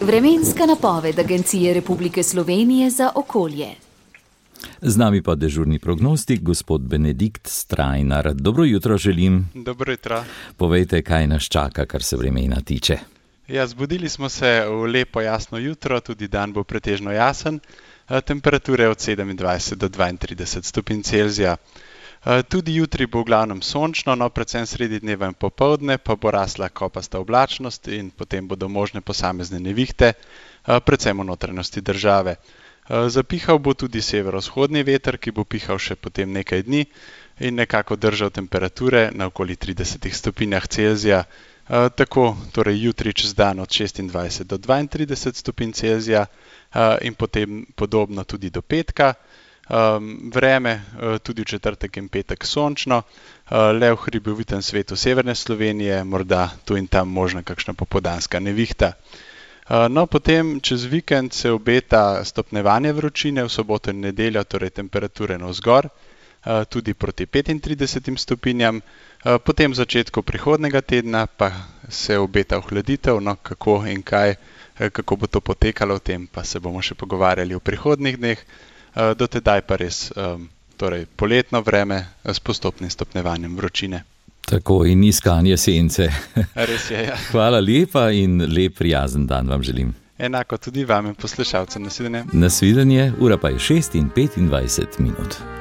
Vremenska napoved Agencije Republike Slovenije za okolje. Z nami pa dežurni prognostik, gospod Benedikt Strajnar. Dobro jutro želim. Dobro jutro. Povejte, kaj nas čaka, kar se vremena tiče. Ja, zbudili smo se v lepo jasno jutro, tudi dan bo pretežno jasen. Temperature od 27 do 32 stopinj Celzija. Tudi jutri bo v glavnem sončno, no predvsem sredi dneva in popoldne pa bo rasla kopasta oblačnost in potem bodo možne posamezne nevihte, predvsem v notranjosti države. Zapihal bo tudi severovzhodni veter, ki bo pihal še potem nekaj dni in nekako držal temperature na okoli 30 stopinjah Celzija. Tako torej jutri čez dan od 26 do 32 stopinj Celzija in potem podobno tudi do petka. Vreme tudi v četrtek in petek sončno, le v hribovitem svetu severne Slovenije, morda tu in tam možna kakšna popoldanska nevihta. No, potem čez vikend se obeta stopnjevanje vročine, v soboto in nedeljo torej temperature navzgor, tudi proti 35 stopinjam, potem v začetku prihodnega tedna pa se obeta ohladitev, no kako in kaj, kako bo to potekalo, o tem pa se bomo še pogovarjali v prihodnjih dneh. Do tedaj pa res torej poletno vreme s postopnim stopnjevanjem vročine. Tako in iskanje sence. Res je, ja. Hvala lepa in lep prijazen dan vam želim. Enako tudi vam in poslušalcem. Nasvidenje. Nasvidenje, ura pa je 6:25.